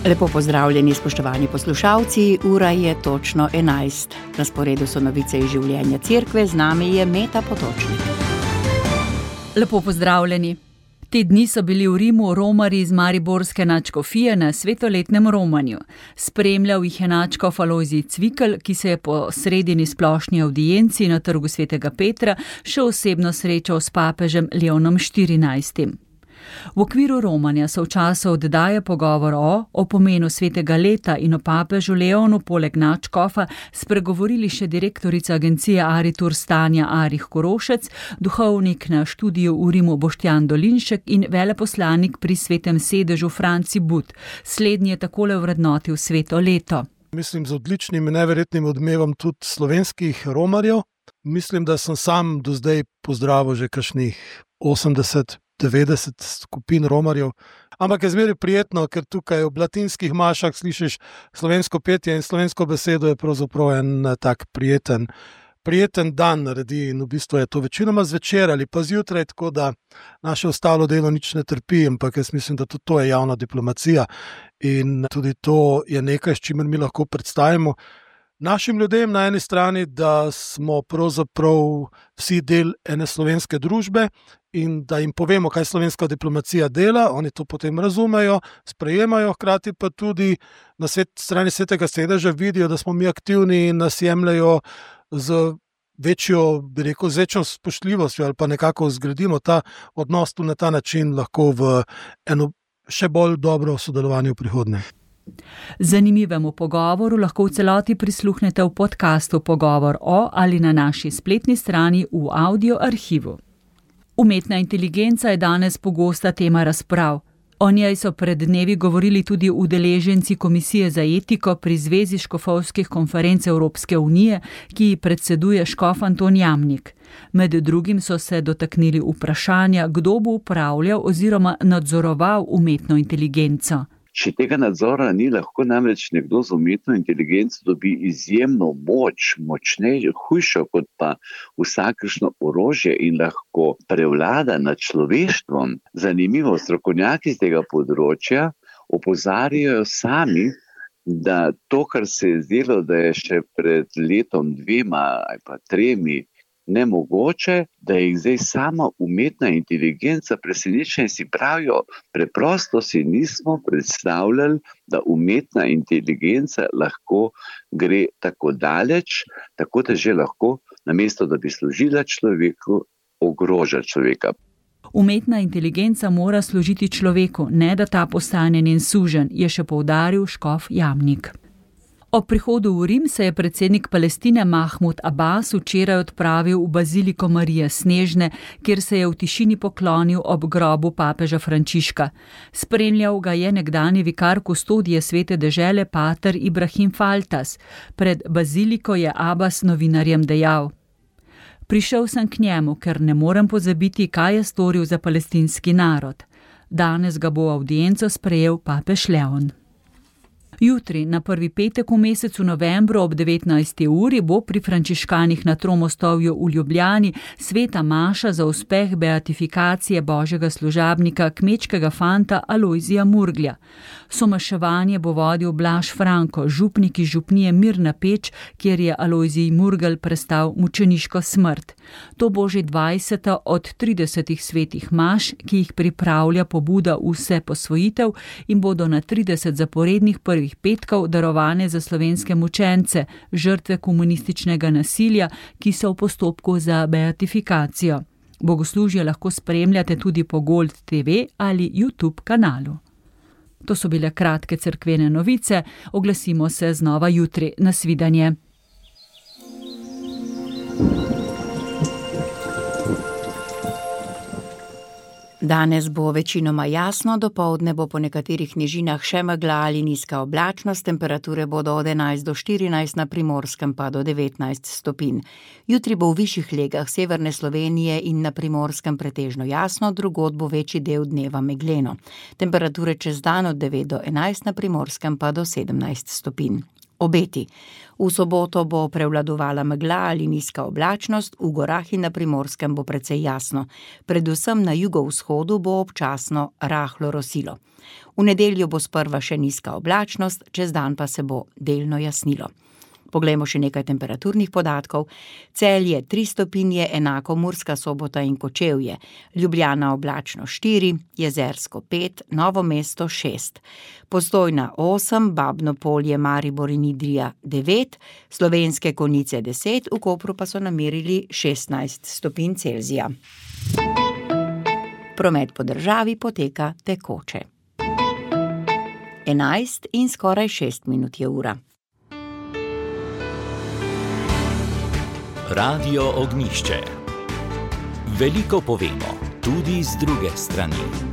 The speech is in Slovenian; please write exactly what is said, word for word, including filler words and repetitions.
Lepo pozdravljeni, spoštovani poslušalci, ura je točno enajst. Na sporedu so novice iz življenja cerkve, z nami je Meta Potočnik. Lepo pozdravljeni. Te dni so bili v Rimu romarji iz mariborske nadškofije na svetoletnem romanju. Spremljal jih je nadškof Alojzij Cvikl, ki se je po sredini splošni avdienci na trgu svetega Petra še osebno srečal s papežem Leonom štirinajstim. V okviru romanja so v času oddaje pogovor o, o pomenu svetega leta in o papežu Leonu poleg nadškofa spregovorili še direktorica agencije Aritur Stanja Arih Korošec, duhovnik na študiju v Rimu Boštjan Dolinšek in veleposlanik pri svetem sedežu Franci But. Slednji je takole vrednotil sveto leto. Mislim z odličnim in neverjetnim odmevom tudi slovenskih romarjev. Mislim, da sem sam do zdaj pozdravil že kakšnih osemdeset devetdeset skupin romarjev, ampak je zmeraj prijetno, ker tukaj v latinskih mašah slišiš slovensko petje in slovensko besedo je pravzaprav en tak prijeten, prijeten dan naredi in v bistvu je to večinoma zvečer ali pa zjutraj, tako da naše ostalo delo nič ne trpi, ampak jaz mislim, da tudi to je javna diplomacija in tudi to je nekaj, s čimer mi lahko predstavimo našim ljudem na eni strani, da smo pravzaprav vsi del ene slovenske družbe in da jim povemo, kaj slovenska diplomacija dela, oni to potem razumejo, sprejemajo, hkrati pa tudi na svet, strani svetega sedeža vidijo, da smo mi aktivni in nas jemljajo z večjo, bi rekel, z večjo spoštljivostjo ali pa nekako zgradimo ta odnos tu na ta način lahko v eno še bolj dobro sodelovanje v prihodnje. Zanimivemu pogovoru lahko v celoti prisluhnete v podcastu Pogovor o ali na naši spletni strani v audio arhivu. Umetna inteligenca je danes pogosta tema razprav. O njej so pred dnevi govorili tudi udeleženci Komisije za etiko pri Zvezi škofovskih konferenc Evropske unije, ki ji predseduje škof Anton Jamnik. Med drugim so se dotaknili vprašanja, kdo bo upravljal oziroma nadzoroval umetno inteligenco. Če tega nadzora ni, lahko namreč nekdo z umetno inteligenco dobi izjemno moč, močnejšo, hujšo kot pa vsakršno orožje in lahko prevlada nad človeštvom. Zanimivo, strokovnjaki z tega področja opozarjajo sami, da to, kar se je zdelo, da je še pred letom dvema ali pa tremi nemogoče, da je zdaj sama umetna inteligenca presenečenja in si pravijo, preprosto si nismo predstavljali, da umetna inteligenca lahko gre tako daleč, tako da že lahko, namesto da bi služila človeku, ogroža človeka. Umetna inteligenca mora služiti človeku, ne da ta postane njen suženj, je še poudaril škof Jamnik. Ob prihodu v Rim se je predsednik Palestine Mahmud Abbas včeraj odpravil v baziliko Marije Snežne, kjer se je v tišini poklonil ob grobu papeža Frančiška. Spremljal ga je nekdanji vikar kustodije svete dežele pater Ibrahim Faltas. Pred baziliko je Abbas novinarjem dejal: Prišel sem k njemu, ker ne morem pozabiti, kaj je storil za palestinski narod. Danes ga bo avdienco sprejel papež Leon. Jutri, na prvi petek v mesecu novembru ob devetnajsti uri, bo pri frančiškanih na Tromostovju v Ljubljani sveta maša za uspeh beatifikacije božjega služabnika, kmečkega fanta Alojzija Murglja. Somaševanje bo vodil Blaž Franko, župnik iz župnije Mirna Peč, kjer je Alojzij Murgelj prestal mučeniško smrt. To bo že dvajseta od tridesetih svetih maš, ki jih pripravlja pobuda Vse posvojitev in bodo na trideset zaporednih prvih petkov darovane za slovenske mučence, žrtve komunističnega nasilja, ki so v postopku za beatifikacijo. Bogoslužje lahko spremljate tudi po Gold T V ali YouTube kanalu. To so bile kratke cerkvene novice, oglasimo se znova jutri. Nasvidenje. Danes bo večinoma jasno, dopoldne bo po nekaterih nižinah še megla ali nizka oblačnost, temperature bodo od enajst do štirinajst, na Primorskem pa do devetnajst stopinj. Jutri bo v višjih legah severne Slovenije in na Primorskem pretežno jasno, drugod bo večji del dneva megleno. Temperature čez dan od devet do enajst, na Primorskem pa do sedemnajst stopinj. Obeti. V soboto bo prevladovala megla ali nizka oblačnost, v gorah in na Primorskem bo precej jasno. Predvsem na jugovzhodu bo občasno rahlo rosilo. V nedeljo bo sprva še nizka oblačnost, čez dan pa se bo delno jasnilo. Poglejmo še nekaj temperaturnih podatkov. Celje tri stopinje, enako Murska Sobota in Kočevje. Ljubljana oblačno štiri, Jezersko pet, Novo mesto šest. Postojna osem, Babno Polje, Maribor in Idrija devet, Slovenske Konjice deset, v Kopru pa so namerili šestnajst stopinj Celzija. Promet po državi poteka tekoče. Enajst in skoraj šest minut je ura. Radio Ognjišče. Veliko povemo, tudi z druge strani.